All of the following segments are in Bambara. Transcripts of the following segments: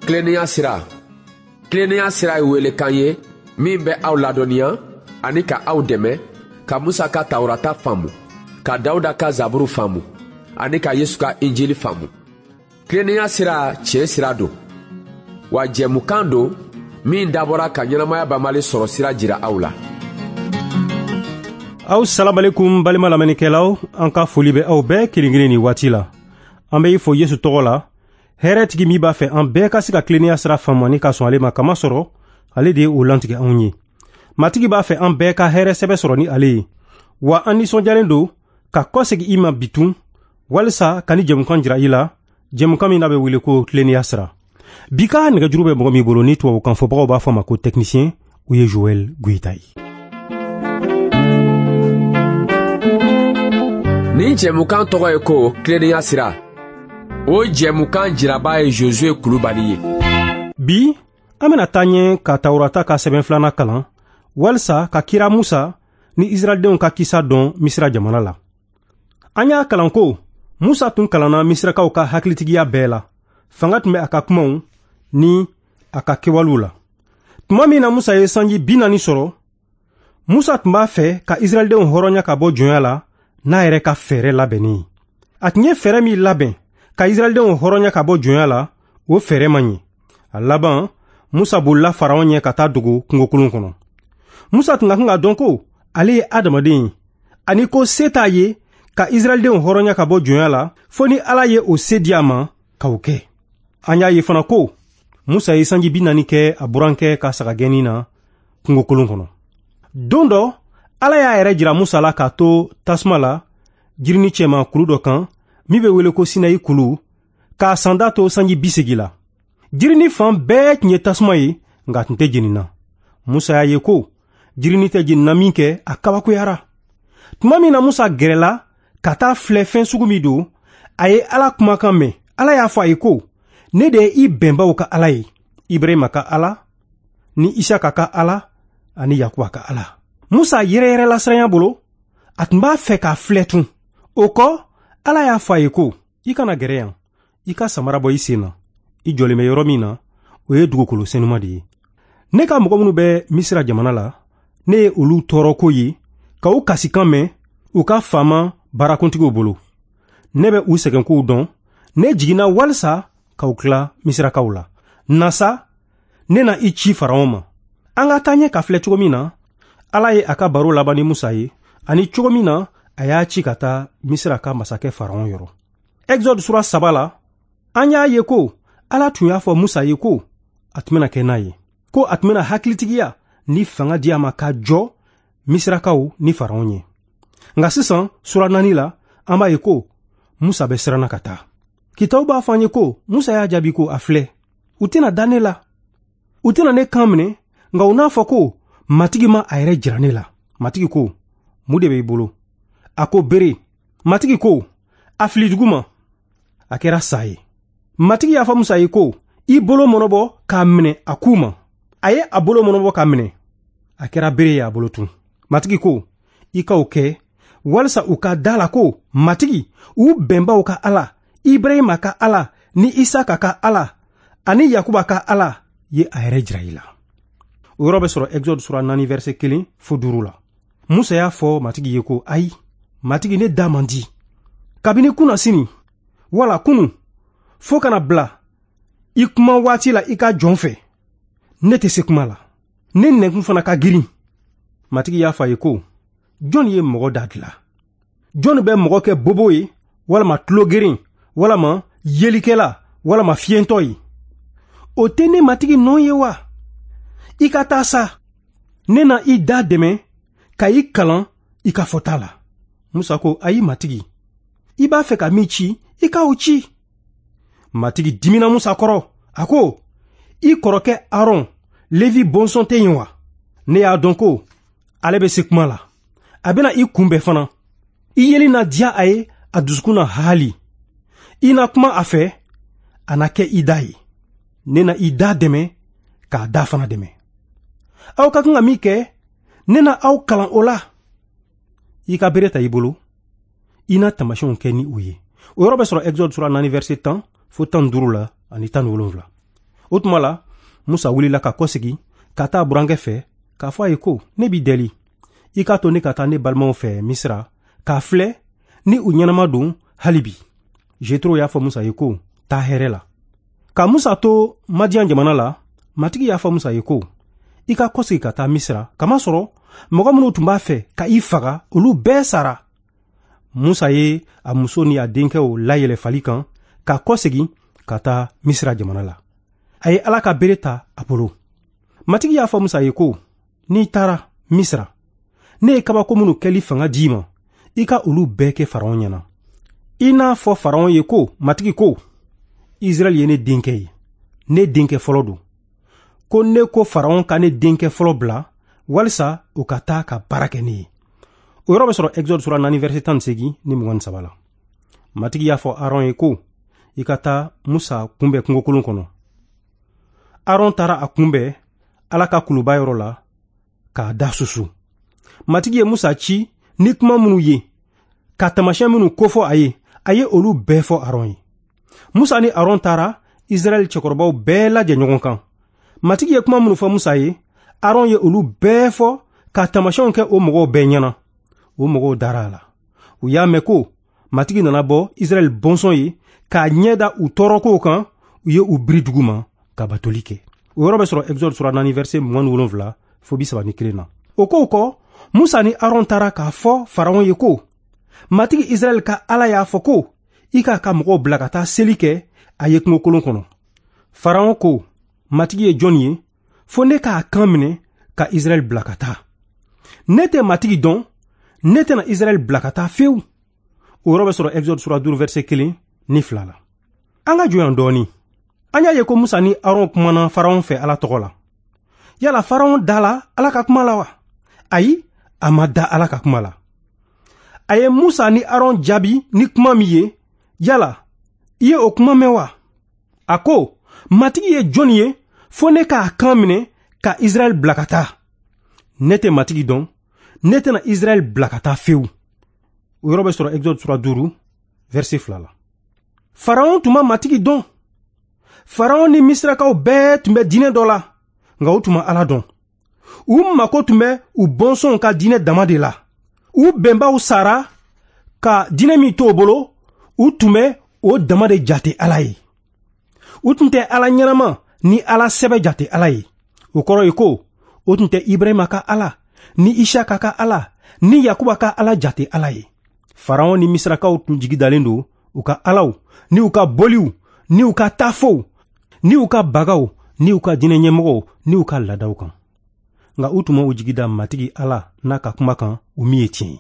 Tilennenya sira. Tilennenya sira ye welekan ye min bɛ aw ladɔnniya ani ka aw dɛmɛ ka Musa ka Tawurata faamu, ka Dawuda ka Zaburu faamu ani ka Yesu ka Injili faamu. Tilennenya sira tiɲɛ sira don. Wa jɛmukan don min dabɔra ka ɲɛnamaya banbali sɔrɔ sira jira aw la. Aw salamalekum balima lamɛnnikɛlaw, an ka foli bɛ aw bɛɛ kelen kelen nin waati la. An bɛ i fo Yesu tɔgɔ la, hɛrɛtigi min b'a fɛ an bɛɛ ka se ka tilennenya sira faamu ani ka sɔn ale ma, kamasɔrɔ ale de ye o lantigɛ anw ye. Matigi b'a fɛ an bɛɛ ka hɛrɛ sɛbɛ sɔrɔ ni ale ye. Wa an nisɔndiyalen don ka kɔsegin i ma bitun walisa ka ni jɛmukan jira i la, jɛmukan min n'a bɛ wele ko tilennenya sira. Bi ka nɛgɛjuru bɛ mɔgɔ min bolo ni tubabukan fɔbagaw b'a fɔ a ma ko technicien, o ye Joël Goïta ye. Nin jɛmukan tɔgɔ ye ko tilennenya sira. O jɛmukan jiraba ye Josué Kulubali ye. Bi an bɛna taa ɲɛ ka Tawurata ka sɛbɛn filanan kalan walisa ka kira Musa ni Israɛldenw ka kisa dɔn Misira jamana la. An y'a kalan ko Musa tun kalanna Misirakaw ka hakilitigiya bɛɛ la. Fanga tun bɛ a ka kumaw ni a ka kɛwalew la. Tuma min na Musa ye sanji 40 sɔrɔ, Musa tun b'a fɛ ka Israɛldenw hɔrɔnya ka bɔ jɔnya la n'a yɛrɛ ka fɛɛrɛ labɛnnen ye. A tun ye fɛɛrɛ min labɛn ka Israɛldenw hɔrɔnya ka bɔ jɔnya la, o fɛɛrɛ man ɲi. A laban, Musa bolila Faraon ɲɛ ka taa dogo kungokolon kɔnɔ. Musa tun ka kan ka dɔn ko ale ye adamaden ye, ani ko se t'a ye ka Israɛldenw hɔrɔnya ka bɔ jɔnya la fo ni Ala ye o se di a ma ka o kɛ. An y'a ye fana ko Musa ye sanji 40 kɛ a burankɛ ka sagagɛnni na kungokolon kɔnɔ. Don dɔ, Ala y'a yɛrɛ jira Musa la k'a to tasuma la jirini cɛma kulu dɔ kan min bɛ wele ko Sinayi kulu, k'a sanda to sanji 80 la. Jirini fan bɛɛ tun ye tasuma ye, nka a tun tɛ jenina. Musa y'a ye ko jirini tɛ jenina min kɛ, a kabakoyara. Tuma min na Musa gɛrɛla ka taa filɛ fɛn sugu min don, a ye Ala kumakan mɛn. Ala y'a fɔ a ye ko, ne de ye i bɛnbaw ka Ala ye, Ibrahima ka Ala, ni Isaka ka Ala, ani Yakuba ka Ala. Musa yɛrɛyɛrɛla siranya bolo, a tun b'a fɛ k'a filɛ tun. O kɔ, Ala y'a fɔ a ye ko, i kana gɛrɛ yan, i ka samara bɔ i sen na. I jɔlen bɛ yɔrɔ min na, o ye dugukolo senuma de ye. Ne ka mɔgɔ minnu bɛ Misira jamana la, ne ye olu tɔɔrɔko ye, ka u kasikan mɛn u ka faama baarakuntigiw bolo. Ne bɛ u sɛgɛnkow dɔn, ne jiginna walisa k'aw tila Misirakaw la. Na sa, ne na i ci Faraon ma. An ka taa ɲɛ ka filɛ cogo min na, Ala ye a ka baro laban ni Musa ye, ani cogo min na a y'a ci ka taa Misira ka masakɛ Faraon yɔrɔ. Exode sura 3 la, an y'a ye ko Ala tun y'a fɔ Musa ye ko a tun bɛna kɛ n'a ye, ko a tun bɛna hakilitigiya ni fanga di a ma ka jɔ Misirakaw ni Faraon ye. Nka sisan sura 4 la, an b'a ye ko Musa bɛ siranna ka taa. Kitabu b'a fɔ an ye ko Musa y'a jaabi ko a filɛ, u tɛna da ne la, u tɛna ne kan minɛ, nka u n'a fɔ ko Matigi ma a yɛrɛ jira ne la. Matigi ko, mun de bɛ i bolo? A ko bere. Matigi ko, a fili dugu ma. A kɛra sa ye. Matigi y'a fɔ Musa ye ko, i bolo mɔnɔbɔ k'a minɛ a ku ma. A ye a bolo mɔnɔbɔ k'a minɛ. A kɛra bere ye a bolo tun. Matigi ko, i ka o kɛ walisa u ka da la ko Matigi, u bɛnbaw ka Ala, Ibrahima ka Ala, ni Isaka ka Ala, ani Yakuba ka Ala ye a yɛrɛ jira i la. O yɔrɔ bɛ sɔrɔ Exode sura 4 verset 1 fo 5 la. Musa y'a fɔ Matigi ye ko, ayi, Matigi, ne da man di. Kabini kunna sini, wala kunu, fo kana bila i kuma waati la i ka jɔn fɛ, ne tɛ se kuma la. Ne nɛnkun fana ka girin. Matigi y'a fɔ a ye ko, jɔn ye mɔgɔ da dilan? Jɔn bɛ mɔgɔ kɛ bobo ye, walama tulogeren, walama yelikɛla, walama fiyentɔ ye? O tɛ ne Matigi nɔ ye wa? I ka taa sa, ne na i da dɛmɛ ka i kalan i ka fɔta la. Musa ko, ayi Matigi, i b'a fɛ ka min ci, i ka o ci. Matigi dimina Musa kɔrɔ, a ko, i kɔrɔkɛ Aron, Levi bɔnsɔn tɛ yen wa? Ne y'a dɔn ko ale bɛ se kuma la. A bɛna i kunbɛn fana. I yeli na diya a ye, a dusukun na haali. I na kuma a fɛ, a na kɛ i da ye. Ne na i da dɛmɛ k'a da fana dɛmɛ. Aw ka kan ka min kɛ, ne na aw kalan o la. I ka bere ta i bolo, i na taamasiyɛnw kɛ ni o ye. O yɔrɔ bɛ sɔrɔ Exode sura 4 verset 10 fo 15 la ani 17. O tuma la, Musa wulila ka kɔsegi ka taa burankɛ fɛ k'a fɔ a ye ko, ne b'i deli, i k'a to ne ka taa ne balimaw fɛ Misira k'a filɛ ni u ɲɛnama don hali bi. Jetro y'a fɔ Musa ye ko, taa hɛrɛ la. Ka Musa to Madiyan jamana la, Matigi y'a fɔ Musa ye ko, i ka kɔsegi ka taa Misira, kamasɔrɔ mɔgɔ minnu tun b'a fɛ ka i faga, olu bɛɛ sara. Musa ye a muso ni a denkɛw layɛlɛ fali kan ka kɔsegi ka taa Misira jamana la. A ye Ala ka bere ta a bolo. Matigi y'a fɔ Musa ye ko, n'i taara Misira, ne ye kabako minnu kɛli fanga d'i ma, i ka olu bɛɛ kɛ Faraon ɲɛna. I n'a fɔ Faraon ye ko, Matigi ko, Israɛl ye ne denkɛ ye, ne denkɛ fɔlɔ don. Ko ne ko Faraon ka ne denkɛ fɔlɔ bila walisa o ka taa ka baara kɛ ne ye. O yɔrɔ bɛ sɔrɔ Exode sura 4 verset 18 ni 23 la. Matigi y'a fɔ Aron ye ko, i ka taa Musa kunbɛn kungokolon kɔnɔ. Aron taara a kunbɛn Ala ka kuluba yɔrɔ la k'a da susu. Matigi ye Musa ci ni kuma minnu ye, ka taamasiyɛn minnu kofɔ a ye, a ye olu bɛɛ fɔ Aron ye. Musa ni Aron taara Israɛl cɛkɔrɔbaw bɛɛ lajɛ ɲɔgɔn kan. Matigi ye kuma minnu fɔ Musa ye, Aron ye olu bɛɛ fɔ ka taamasiyɛnw kɛ o mɔgɔw bɛɛ ɲɛna. O mɔgɔw dara a la. U y'a mɛn ko Matigi nana bɔ Israɛl bɔnsɔn ye k'a ɲɛ da u tɔɔrɔkow kan, u ye u biri dugu ma ka batoli kɛ. O yɔrɔ bɛ sɔrɔ Exode sura 4 verset 27 fo 31 na. O kow kɔ, Musa ni Aron taara k'a fɔ Faraon ye ko, Matigi Israɛl ka Ala y'a fɔ ko, i k'a ka mɔgɔw bila ka taa seli kɛ a ye kungokolon kɔnɔ. Faraon ko, Matigi ye jɔn ye, fo ne k'a kan minɛ ka Israɛl bila ka taa. Ne tɛ Matigi dɔn, ne tɛna Israɛl bila ka taa fewu. O yɔrɔ bɛ sɔrɔ Exode sura 5 verset 1 ni 2 la. An ka jɔ yan dɔɔni. An y'a ye ko Musa ni Aron kumana Faraon fɛ Ala tɔgɔ la. Yala Faraon dala Ala ka kuma la wa? Ayi, a ma da Ala ka kuma la. A ye Musa ni Aron jaabi ni kuma min ye, yala i ye o kuma mɛn wa? A ko, Matigi ye jɔn ye, fo ne k'a kan minɛ ka Israɛl bila ka taa. Ne tɛ Matigi dɔn, ne tɛna Israɛl bila ka taa fewu. O yɔrɔ bɛ sɔrɔ Exode sura 5 verset 2 la. Faraon tun ma Matigi dɔn. Faraon ni Misirakaw bɛɛ tun bɛ diinɛ dɔ la, nka u tun ma Ala dɔn. U mako tun bɛ u bɔnsɔnw ka diinɛ dama de la. U bɛnbaw sara ka diinɛ min to u bolo, u tun bɛ o dama de jate Ala ye. U tun tɛ Ala ɲɛnama ni Ala sɛbɛ jate Ala ye. O kɔrɔ ye ko, o tun tɛ Ibrahima ka Ala, ni Isaka ka Ala, ni Yakuba ka Ala jate Ala ye. Faraon ni Misirakaw tun jigi dalen don u ka alaw, ni u ka boliw, ni u ka tafow, ni u ka bagaw, ni u ka diinɛ ɲɛmɔgɔw, ni u ka laadaw kan. Nka u tun ma u jigi da Matigi Ala n'a ka kuma kan, o min ye tiɲɛ ye.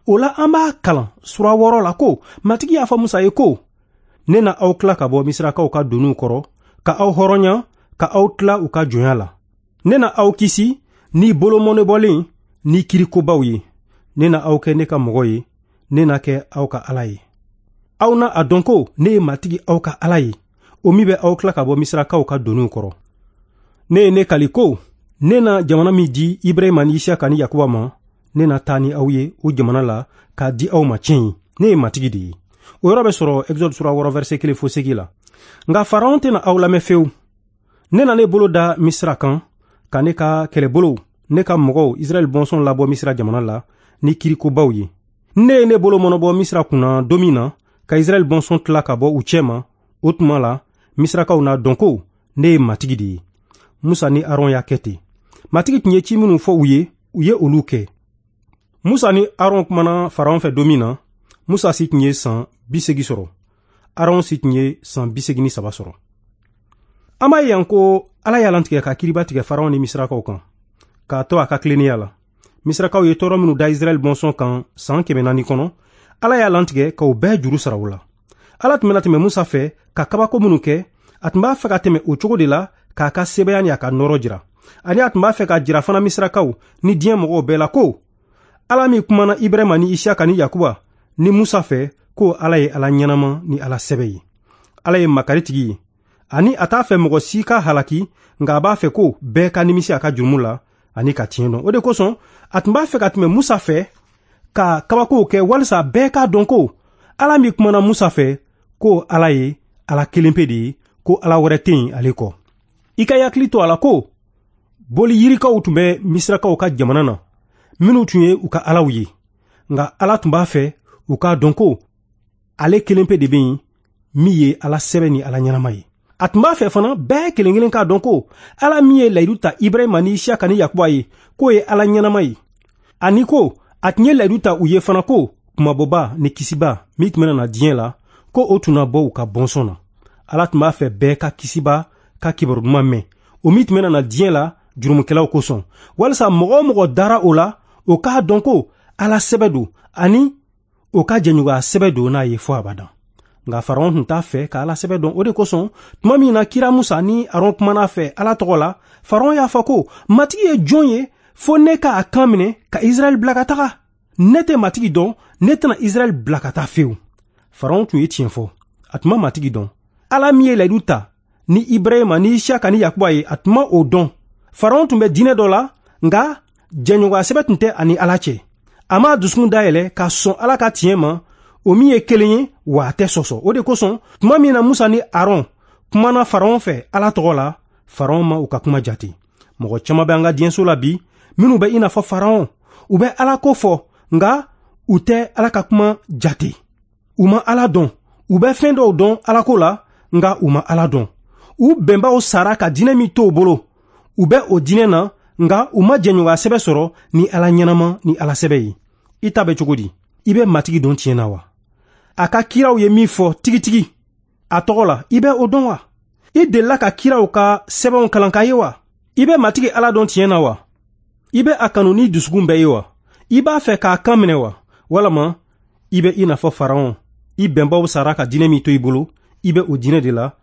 O la an b'a kalan sura 6 la ko, Matigi y'a fɔ Musa ye ko, ne na aw tila ka bɔ Misirakaw ka doniw kɔrɔ, ka aw hɔrɔnya, ka aw tila u ka jɔnya la. Ne na aw kisi ni bolomɔnɛbɔlen ni kirikobaw ye. Ne na aw kɛ ne ka mɔgɔ ye, ne na kɛ aw ka Ala ye. Aw na a dɔn ko ne ye Matigi aw ka Ala ye, o min bɛ aw tila ka bɔ Misirakaw ka doniw kɔrɔ. Ne ye ne kali ko, ne na jamana min di Ibrahima ni Isaka ni Yakuba ma, ne na taa ni aw ye o jamana la k'a di aw ma tiɲɛ ye. Ne ye Matigi de ye. O yɔrɔ bɛ sɔrɔ Exode sura 6 verset 1 fo 8 la. Nka Faraon tɛna aw lamɛn fewu. Ne na ne bolo da Misira kan, ka ne ka kɛlɛbolow, ne ka mɔgɔw Israɛl bɔnsɔn labɔ Misira jamana la ni kirikobaw ye. Ne ye ne bolo mɔnɔbɔ Misira kunna don min na, ka Israɛl bɔnsɔn tila ka bɔ u cɛ ma, o tuma la Misirakaw n'a dɔn ko ne ye Matigi de ye. Musa ni Aron y'a kɛ ten. Matigi tun ye ci minnu fɔ u ye, u ye olu kɛ. Musa ni Aron kumana Faraon fɛ don min na, Musa si tun ye san 80 sɔrɔ. Aron si tun ye san 83 sɔrɔ. An b'a ye yan ko Ala y'a lantigɛ ka kiriba tigɛ Faraon ni Misirakaw kan, k'a to a ka tilennenya la. Misirakaw ye tɔɔrɔ minnu da Israɛl bɔnsɔn kan san 400 kɔnɔ, Ala y'a lantigɛ k'o bɛɛ juru sara u la. Ala tun bɛna tɛmɛ Musa fɛ ka kabako minnu kɛ, a tun b'a fɛ ka tɛmɛ o cogo de la k'a ka sebaya ni a ka nɔɔrɔ jira. Ani a tun b'a fɛ ka jira fana Misirakaw ni diɲɛ mɔgɔw bɛɛ la ko Ala min kumana Ibrahima ni Isaka ni Yakuba ni Musa fɛ, ko Ala ye Ala ɲɛnama ni Ala sɛbɛ ye. Ala ye makaritigi ye, ani a t'a fɛ mɔgɔ si ka halaki, nka a b'a fɛ ko bɛɛ ka nimisi a ka jurumu la ani ka tiɲɛ dɔn. O de kosɔn a tun b'a fɛ ka tɛmɛ Musa fɛ ka kabakow kɛ walisa bɛɛ k'a dɔn ko Ala min kumana Musa fɛ, ko Ala ye Ala kelen pe de ye, ko Ala wɛrɛ tɛ yen ale kɔ. I ka hakili to a la ko boli yirikaw tun bɛ Misirakaw ka jamana na, minnu tun ye u ka alaw ye. Nka Ala tun b'a fɛ u k'a dɔn ko ale kelen pe de bɛ yen min ye Ala sɛbɛ ni Ala ɲɛnama ye. A tun b'a fɛ fana bɛɛ kelen kelen k'a dɔn ko Ala min ye layidu ta Ibrahima ni Isiyaka ni Yakuba ye, k'o ye Ala ɲɛnama ye. Ani ko a tun ye layidu ta u ye fana ko kumabɔba ni kisiba min tun bɛna na diɲɛ la, ko o tun na bɔ u ka bɔnsɔn na. Ala tun b'a fɛ bɛɛ ka kisiba ka kibaru duman mɛn, o min tun bɛna na diɲɛ la jurumukɛlaw kosɔn, walisa mɔgɔ o mɔgɔ dara o la, o k'a dɔn ko Ala sɛbɛ don ani o ka jɛɲɔgɔnya sɛbɛ don n'a ye fɔ abadan. Nka Faraon tun t'a fɛ ka Ala sɛbɛ dɔn. O de kosɔn tuma min na kira Musa ni Aron kumana fɛ Ala tɔgɔ la, Faraon y'a fɔ ko Matigi ye jɔn ye fo ne k'a kan minɛ ka Israɛl bila ka taga? Ne tɛ Matigi dɔn, ne tɛna Israɛl bila ka taa fewu. Faraon tun ye tiɲɛ fɔ, a tun ma Matigi dɔn. Ala min ye layidu ta ni Ibrahima ni Isiyaka ni Yakuba ye, a tun ma o dɔn. Faraon tun bɛ diinɛ dɔ la, nka jɛɲɔgɔnya sɛbɛ tun tɛ ani Ala cɛ. A m'a dusukun dayɛlɛ ka sɔn Ala ka tiɲɛ ma, o min ye kelen ye, wa a tɛ sɔsɔ. O de kosɔn tuma min na Musa ni Aron kumana Faraon fɛ Ala tɔgɔ la, Faraon ma u ka kuma jate. Mɔgɔ caman bɛ an ka diɲɛso la bi minnu bɛ i n'a fɔ Faraon. U bɛ Ala ko fɔ, nka u tɛ Ala ka kuma jate. U ma Ala dɔn. U bɛ fɛn dɔw dɔn Ala ko la, nka u ma Ala dɔn. U bɛnbaw sara ka diinɛ min to u bolo, u bɛ o diinɛ na, nka u ma jɛɲɔgɔnya sɛbɛ sɔrɔ ni Ala ɲɛnama ni Ala sɛbɛ ye. I ta bɛ cogo di? I bɛ Matigi dɔn tiɲɛ na wa? A ka kiraw ye min fɔ tigitigi a tɔgɔ la, i bɛ o dɔn wa? I delila ka kiraw ka sɛbɛnw kalan k'a ye wa? I bɛ Matigi Ala dɔn tiɲɛ na wa? I bɛ a kanu ni dusukun bɛɛ ye wa? I b'a fɛ k'a kan minɛ wa? Walama i bɛ i n'a fɔ Faraon, i bɛnbaw sara ka diinɛ min to i bolo, i bɛ o diinɛ de la,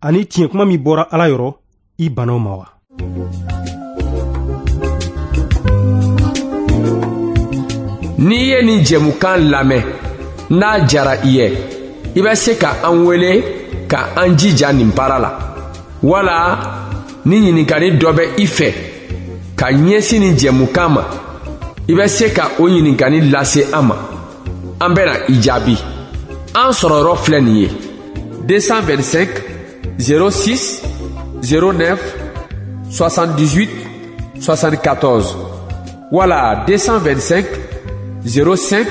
ani tiɲɛ kuma min bɔra Ala yɔrɔ, i banna o ma wa? N'i ye nin jɛmukan lamɛn, n'a jara i ye, i bɛ se ka an wele ka an jija nin baara la. Wala ni ɲininkali dɔ bɛ i fɛ ka ɲɛsin nin jɛmukan ma, i bɛ se ka o ɲininkali lase an ma. An bɛna i jaabi. An sɔrɔyɔrɔ filɛ nin ye: 225 06 09 78 74 wala 225 05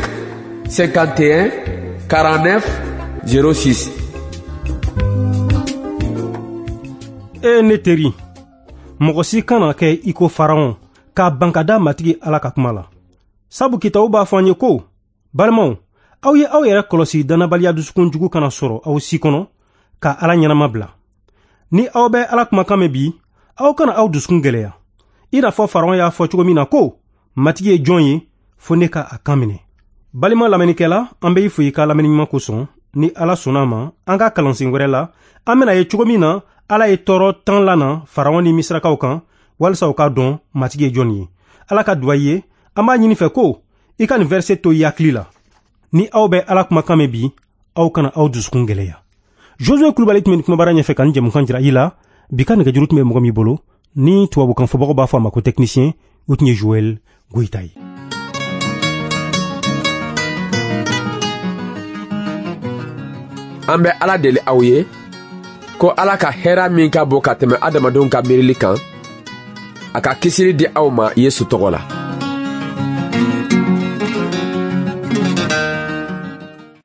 51 49 06. E ne teri, mɔgɔ si kana kɛ i ko Faraon k'a ban ka da Matigi Ala ka kuma la. Sabu kitabu b'a fɔ an ye ko, balimaw, aw ye aw yɛrɛ kɔlɔsi dannabaliya dusukun jugu kana sɔrɔ aw si kɔnɔ ka Ala ɲɛnama bila. Ni aw bɛ Ala kumakan mɛn bi, aw kana aw dusukun gɛlɛya. I n'a fɔ Faraon y'a fɔ cogo min na ko, Matigi ye jɔn ye fo ne ka a kan minɛ. Balima lamɛnnikɛla, an bɛ i fo i ka lamɛnni ɲuman kosɔn. Ni Ala sɔnna a ma, an ka kalansen wɛrɛ la, an bɛna ye cogo min na Ala ye tɔɔrɔ 10 lana Faraon ni Misirakaw kan, walisa u k'a dɔn Matigi ye jɔn ye. Ala ka duwa ye, an b'a ɲini fɛ ko i ka nin verset to i hakili la. Ni aw bɛ Ala kumakan mɛn bi, aw kana aw dusukun gɛlɛya. Josue Kulubali tun bɛ nin kumabara ɲɛfɛ ka nin jɛmukan jira i la. Bi ka nɛgɛjuru tun bɛ mɔgɔ min bolo, ni tubabukan fɔbagaw b'a fɔ a ma ko technicien, o tun ye Joël Goïta ye. An bɛ Ala deli aw ye ko Ala ka hɛrɛ min ka bon ka tɛmɛ adamadenw ka miirili kan, a ka kisili di aw ma Yesu tɔgɔ la.